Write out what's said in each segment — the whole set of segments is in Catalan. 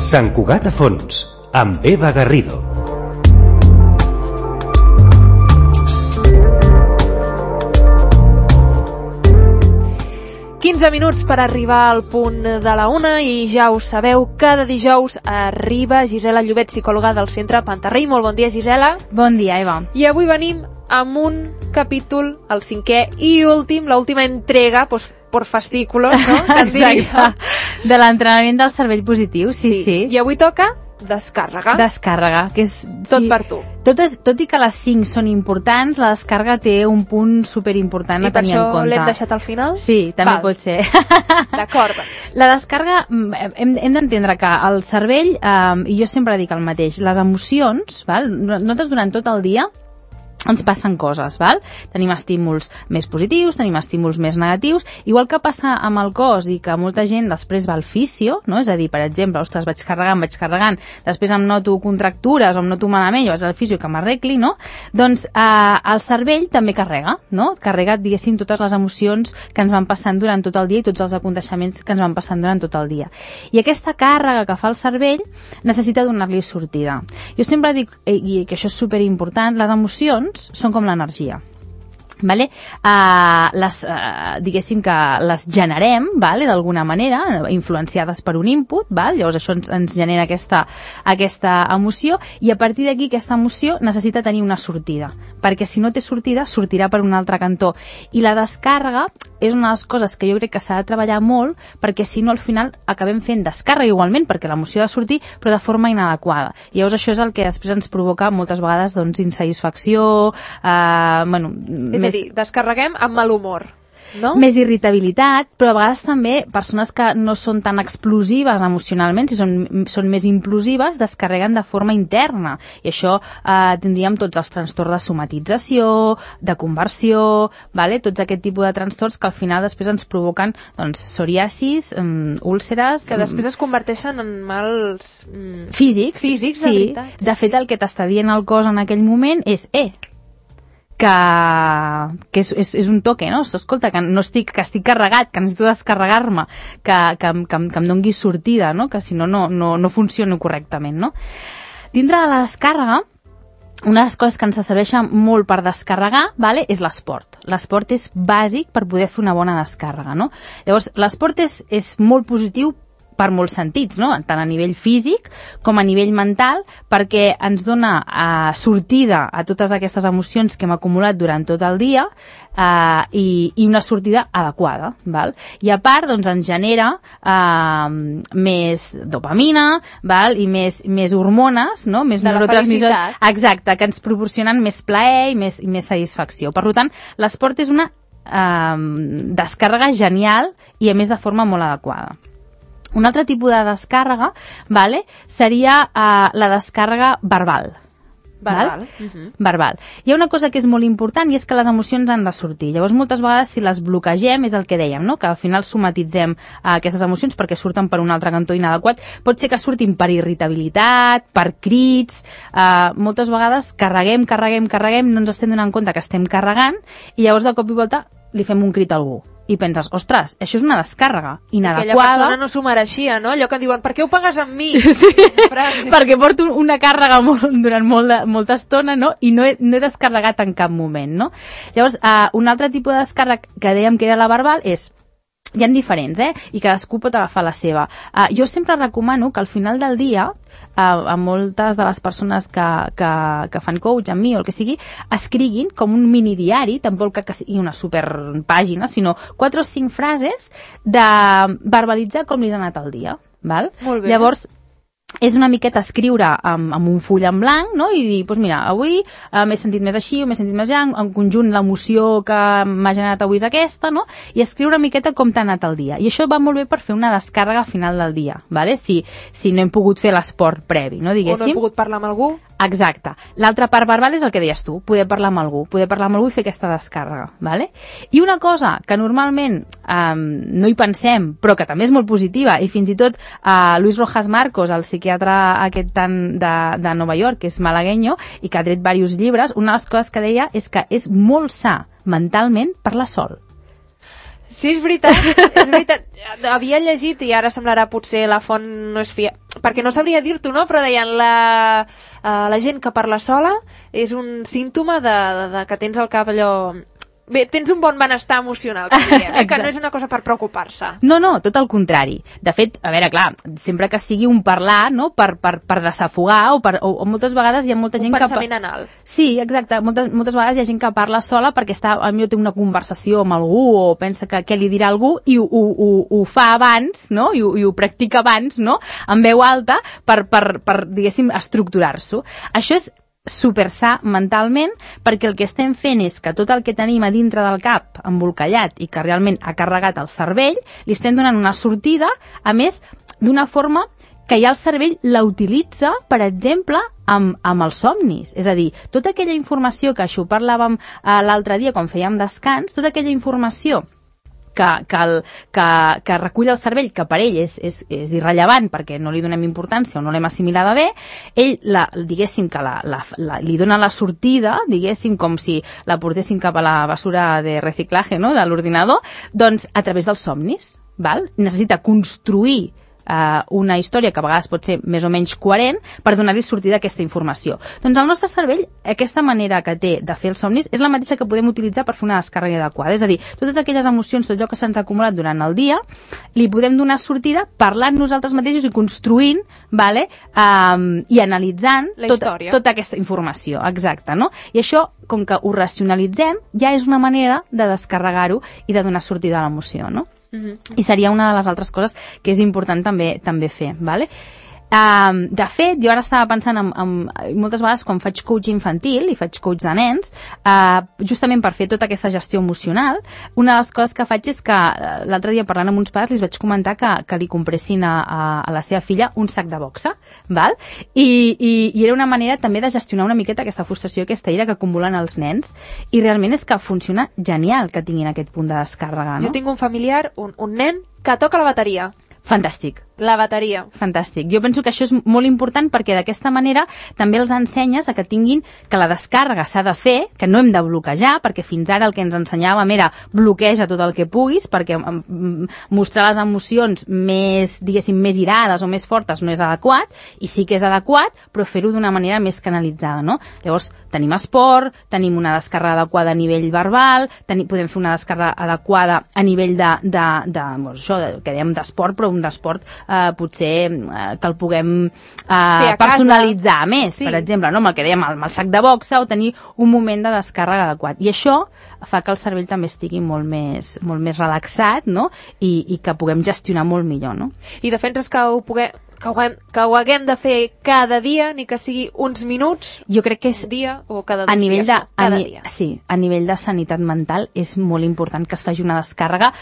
Sant Cugat a fons, amb Eva Garrido. Minuts per arribar al punt de la 1 i ja ho sabeu, cada dijous arriba Gisela Llobet, psicòloga del Centre Pantarrey. Molt bon dia, Gisela. Bon dia, Eva. I avui venim amb un capítol, el 5è i últim, l'última entrega, por fascículos, no? Exacte, de l'entrenament del cervell positiu, sí. I avui toca descàrrega. Descàrrega, que és... Tot per tu. Tot i que les 5 són importants, la descàrrega té un punt superimportant a tenir en compte. I per això l'hem deixat al final? Sí, també pot ser. D'acord. La descàrrega, hem d'entendre que el cervell, i jo sempre dic el mateix, les emocions, nosaltres durant tot el dia ens passen coses, val? Tenim estímuls més positius, tenim estímuls més negatius, igual que passa amb el cos i que molta gent després va al fisio, no? És a dir, per exemple, ostres, vaig carregant, després em noto contractures o em noto malament, jo vaig al fisio que m'arregli, no? Doncs el cervell també carrega, no? Carrega, diguéssim, totes les emocions que ens van passant durant tot el dia i tots els aconteixements que ens van passant durant tot el dia. I aquesta càrrega que fa el cervell necessita donar-li sortida. Jo sempre dic, i que això és superimportant, les emocions són com l'energia. Vale? Diguéssim que les generem, vale? D'alguna manera, influenciades per un input, val? Llavors això ens genera aquesta emoció, i a partir d'aquí aquesta emoció necessita tenir una sortida, perquè si no té sortida, sortirà per un altre cantó. I la descàrrega és una de les coses que jo crec que s'ha de treballar molt, perquè si no al final acabem fent descàrrega igualment, perquè l'emoció ha de sortir, però de forma inadequada. Llavors això és el que després ens provoca moltes vegades insatisfacció, és a dir, descarreguem amb mal humor, no? Més irritabilitat, però a vegades també persones que no són tan explosives emocionalment, si són més implosives, descarreguen de forma interna. I això tindríem tots els trastorns de somatització, de conversió, vale? Tots aquest tipus de trastorns que al final després ens provoquen psoriasis, úlceres... Que després es converteixen en mals... Físics, de veritat. De fet, el que t'està dient el cos en aquell moment és que és un toque, no? Escolta, que estic carregat, que necessito descarregar-me, que em doni sortida, no? Que si no funciona correctament, no? Dintre de la descàrrega, una de les coses que ens serveixen molt per descarregar, vale, és l'esport. L'esport és bàsic per poder fer una bona descàrrega, no? Llavors, l'esport és molt positiu per molts sentits, no? Tant a nivell físic com a nivell mental, perquè ens dona sortida a totes aquestes emocions que hem acumulat durant tot el dia i una sortida adequada, val? I a part, ens genera més dopamina, val? I més hormones, no? Més neurotransmissors, exacte, que ens proporcionen més plaer i més satisfacció. Per tant, l'esport és una descàrrega genial i a més de forma molt adequada. Un altre tipus de descàrrega, vale, seria la descàrrega verbal. Verbal. Hi ha una cosa que és molt important i és que les emocions han de sortir. Llavors, moltes vegades, si les bloquegem, és el que dèiem, no? Que al final somatitzem aquestes emocions perquè surten per un altre cantó inadequat. Pot ser que surtin per irritabilitat, per crits. Moltes vegades carreguem, no ens estem donant compte que estem carregant i llavors de cop i volta li fem un crit a algú. I penses, ostres, això és una descàrrega inadequada. Aquella persona no s'ho mereixia, no? Allò que diuen, per què ho pagues amb mi? Sí, perquè porto una càrrega durant molta estona, no? I no he descarregat en cap moment, no? Llavors, un altre tipus de descàrrega que dèiem que era la verbal és... Hi ha diferents, i cadascú pot agafar la seva. Jo sempre recomano que al final del dia, a moltes de les persones que fan coach amb mi o el que sigui, escriguin com un mini diari, tampoc que sigui una superpàgina, sinó 4 o 5 frases de verbalitzar com li ha anat el dia. Val? Molt bé. Llavors, és una miqueta escriure amb un full en blanc, no? I dir, doncs mira, avui m'he sentit més així o m'he sentit més allà, en conjunt l'emoció que m'ha generat avui és aquesta, no? I escriure una miqueta com t'ha anat el dia. I això va molt bé per fer una descàrrega al final del dia, ¿vale? Si no hem pogut fer l'esport previ, no? Diguéssim. O no hem pogut parlar amb algú. Exacte. L'altra part verbal és el que deies tu, poder parlar amb algú i fer aquesta descàrrega, ¿vale? I una cosa que normalment no hi pensem, però que també és molt positiva, i fins i tot Luis Rojas Marcos, el psiquiatre aquest de Nova York, que és malagueño i que ha tret diversos llibres, una de les coses que deia és que és molt sa mentalment parlar sol. Sí, és veritat, és veritat. Havia llegit, i ara semblarà potser la font no és perquè no sabria dir-t'ho, no? Però deien la gent que parla sola és un símptoma de que tens el cap allò... Bé, tens un bon benestar emocional, que diríem, que no és una cosa per preocupar-se. No, tot el contrari. De fet, a veure, clar, sempre que sigui un parlar, no?, per desafogar, o moltes vegades hi ha molta gent que... Un pensament anal. Sí, exacte. Moltes vegades hi ha gent que parla sola perquè potser té una conversació amb algú o pensa que què li dirà algú i ho fa abans, no?, i ho practica abans, no?, en veu alta per diguéssim, estructurar-s'ho. Això és super sa mentalment, perquè el que estem fent és que tot el que tenim a dintre del cap embolcallat i que realment ha carregat el cervell, li estem donant una sortida, a més, d'una forma que ja el cervell la utilitza, per exemple, amb els somnis. És a dir, tota aquella informació que això parlàvem l'altre dia quan fèiem descans, tota aquella informació que recull el cervell, que per ell és irrellevant perquè no li donem importància o no l'hem assimilada bé, ell, diguéssim, que li dona la sortida, diguéssim, com si la portessin cap a la basura de reciclatge, no?, de l'ordinador, doncs a través dels somnis. Val? Necessita construir una història que a vegades pot ser més o menys coherent per donar-li sortida a aquesta informació. Doncs el nostre cervell, aquesta manera que té de fer els somnis és la mateixa que podem utilitzar per fer una descàrrega adequada. És a dir, totes aquelles emocions, tot allò que se'ns ha acumulat durant el dia, li podem donar sortida parlant nosaltres mateixos i construint, vale? I analitzant tota aquesta informació. Exacte, no? I això, com que ho racionalitzem, ja és una manera de descarregar-ho i de donar sortida a l'emoció, no? I seria una de les altres coses que és important també fer, ¿vale? De fet, jo ara estava pensant en moltes vegades quan faig coach infantil i faig coach de nens, justament per fer tota aquesta gestió emocional, una de les coses que faig és que l'altre dia parlant amb uns pares li vaig comentar que li compressin a la seva filla un sac de boxa, val? I era una manera també de gestionar una miqueta aquesta frustració, aquesta ira que acumulen els nens, i realment és que funciona genial que tinguin aquest punt de descàrrega, no? Jo tinc un familiar, un nen, que toca la bateria. Fantàstic. La bateria. Fantàstic. Jo penso que això és molt important perquè d'aquesta manera també els ensenyes a que tinguin que la descàrrega s'ha de fer, que no hem de bloquejar, perquè fins ara el que ens ensenyàvem era bloqueja tot el que puguis, perquè mostrar les emocions més, diguéssim, més irades o més fortes no és adequat, i sí que és adequat, però fer-ho d'una manera més canalitzada, no? Llavors, tenim esport, tenim una descàrrega adequada a nivell verbal, podem fer una descàrrega adequada a nivell que dèiem d'esport, però un d'esport potser que el puguem personalitzar més, sí. Per exemple, no? Amb el que dèiem, amb el sac de boxa, o tenir un moment de descàrrega adequat. I això fa que el cervell també estigui molt més relaxat, no? I que puguem gestionar molt millor, no? I defenses que ho haguem de fer cada dia, ni que sigui uns minuts, jo crec que és dia o cada dos dies, cada dia. Sí, a nivell de sanitat mental és molt important que es faci una descàrrega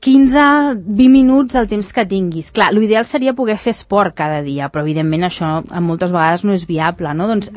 15-20 minuts el temps que tinguis. Clar, l'ideal seria poder fer esport cada dia, però evidentment això moltes vegades no és viable, no? Doncs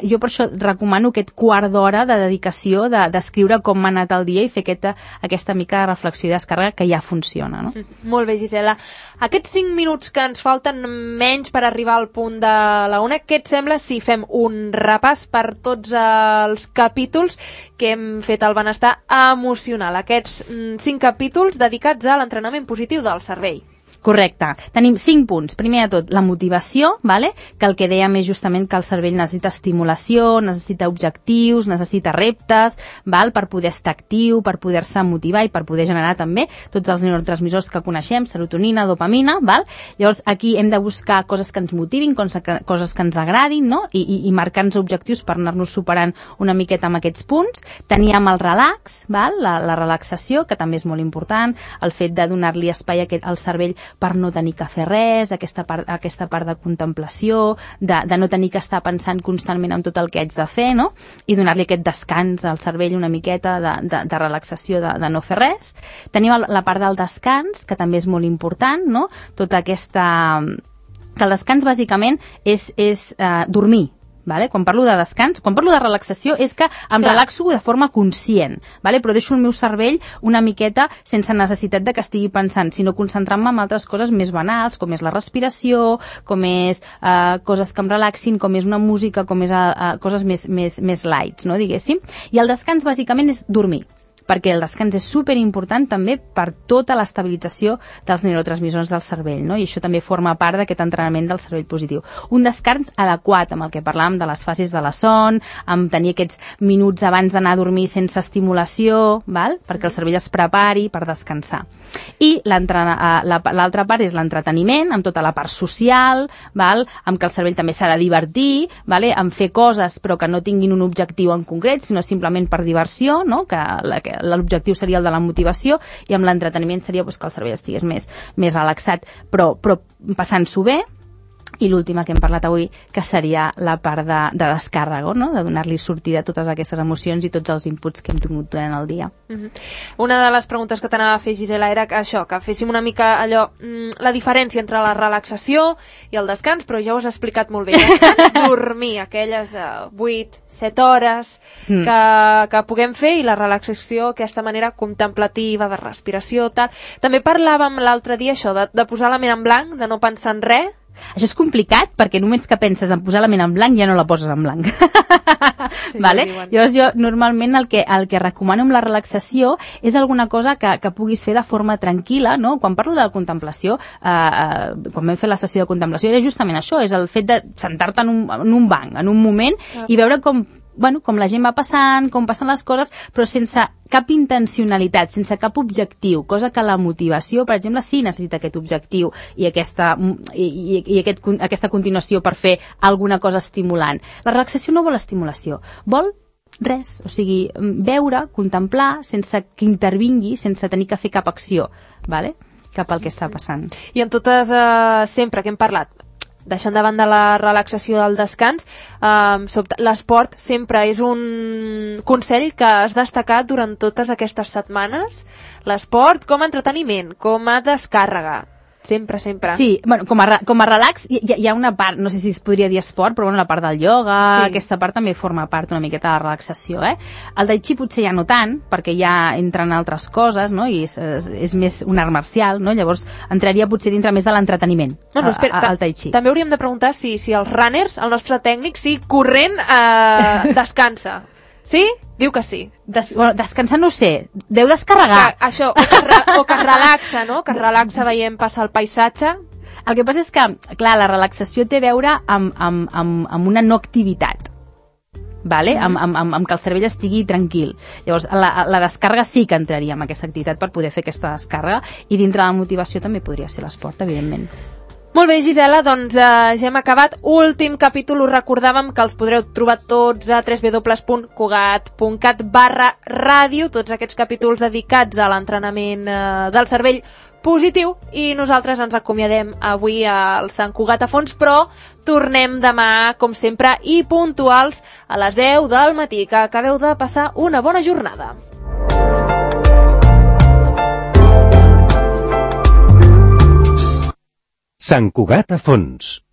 jo per això recomano aquest quart d'hora de dedicació d'escriure com m'ha anat el dia i fer aquesta mica de reflexió i descàrrega que ja funciona, no? Molt bé, Gisela. Aquests 5 minuts que ens falten menys per arribar al punt de la una, què et sembla si fem un repàs per tots els capítols que hem fet al benestar emocional? Aquests 5 capítols dedicats a l'entrenament positiu del cervell. Correcte. Tenim 5 punts. Primer de tot, la motivació, vale? Que el que dèiem és justament que el cervell necessita estimulació, necessita objectius, necessita reptes, val? Per poder estar actiu, per poder-se motivar i per poder generar també tots els neurotransmissors que coneixem, serotonina, dopamina, val? Llavors aquí hem de buscar coses que ens motivin, coses que ens agradin, no? I marcar-nos objectius per anar-nos superant una miqueta amb aquests punts. Teníem el relax, val? La relaxació, que també és molt important, el fet de donar-li espai al cervell per no tenir que fer res, aquesta part de contemplació, de no tenir que estar pensant constantment en tot el que haig de fer, no? I donar-li aquest descans al cervell una miqueta de relaxació, de no fer res. Tenim la part del descans, que també és molt important, no? Tota aquesta... que el descans bàsicament és dormir. Vale? Quan parlo de descans, quan parlo de relaxació és que em relaxo de forma conscient, vale? Però deixo el meu cervell una miqueta sense necessitat de que estigui pensant, sinó concentrant-me en altres coses més banals, com és la respiració, com és coses que em relaxin, com és una música, com és coses més lights, no? Diguéssim. I el descans bàsicament és dormir. perquè el descans és superimportant també per tota l'estabilització dels neurotransmissors del cervell, no? I això també forma part d'aquest entrenament del cervell positiu. Un descans adequat, amb el que parlàvem de les fases de la son, amb tenir aquests minuts abans d'anar a dormir sense estimulació, val? Perquè el cervell es prepari per descansar. I l'altra part és l'entreteniment, amb tota la part social, val? Amb que el cervell també s'ha de divertir, vale? Amb fer coses però que no tinguin un objectiu en concret, sinó simplement per diversió, no? Que l'objectiu seria el de la motivació, i amb l'entreteniment seria que el cervell estigués més relaxat, però passant-s'ho bé. I l'última que hem parlat avui, que seria la part de descàrrega, no? De donar-li sortida a totes aquestes emocions i tots els inputs que hem tingut durant el dia. Una de les preguntes que t'anava a fer, Gisela, era que féssim una mica allò, la diferència entre la relaxació i el descans, però ja ho has explicat molt bé. Dormir aquelles 8-7 hores que puguem fer, i la relaxació, aquesta manera contemplativa, de respiració, tal. També parlàvem l'altre dia això, de posar la ment en blanc, de no pensar en res. Això és complicat perquè només que penses en posar la ment en blanc ja no la poses en blanc. Sí, vale? Llavors jo normalment el que recomano amb la relaxació és alguna cosa que puguis fer de forma tranquil·la, no? Quan parlo de la contemplació, quan vam fer la sessió de contemplació, era justament això, és el fet de sentar-te en un banc, en un moment, i veure com la gent va passant, com passen les coses, però sense cap intencionalitat, sense cap objectiu, cosa que la motivació, per exemple, sí necessita aquest objectiu i aquesta continuació per fer alguna cosa estimulant. La relaxació no vol estimulació, vol res, o sigui, veure, contemplar, sense que intervingui, sense tenir que fer cap acció, vale? Cap al que està passant. I en totes, sempre que hem parlat, deixant de banda la relaxació del descans, l'esport sempre és un consell que has destacat durant totes aquestes setmanes. L'esport com a entreteniment, com a descàrrega. Sempre. Sí, bueno, com a relax hi ha una part, no sé si es podria dir esport, però la part del ioga, sí. Aquesta part també forma part una miqueta de la relaxació, El tai chi potser ja no tant, perquè ja entren altres coses, no? I és més un art marcial, no? Llavors entraria potser dintre més de l'entreteniment, el tai chi. També hauríem de preguntar si els runners, el nostre tècnic, si corrent descansa. Sí? Diu que sí. Descansar no sé, deu descarregar. O que relaxa, no? Que relaxa veient passar el paisatge. El que passa és que, clar, la relaxació té a veure amb una no activitat. Vale? Amb que el cervell estigui tranquil. Llavors, la descàrrega sí que entraria en aquesta activitat per poder fer aquesta descàrrega, i dintre la motivació també podria ser l'esport, evidentment. Molt bé, Gisela, doncs ja hem acabat. Últim capítol, us recordàvem que els podreu trobar tots a www.cugat.cat/ràdio, tots aquests capítols dedicats a l'entrenament del cervell positiu, i nosaltres ens acomiadem avui al Sant Cugat a fons, però tornem demà, com sempre, i puntuals a les 10 del matí. Que acabeu de passar una bona jornada. Sant Cugat a fons.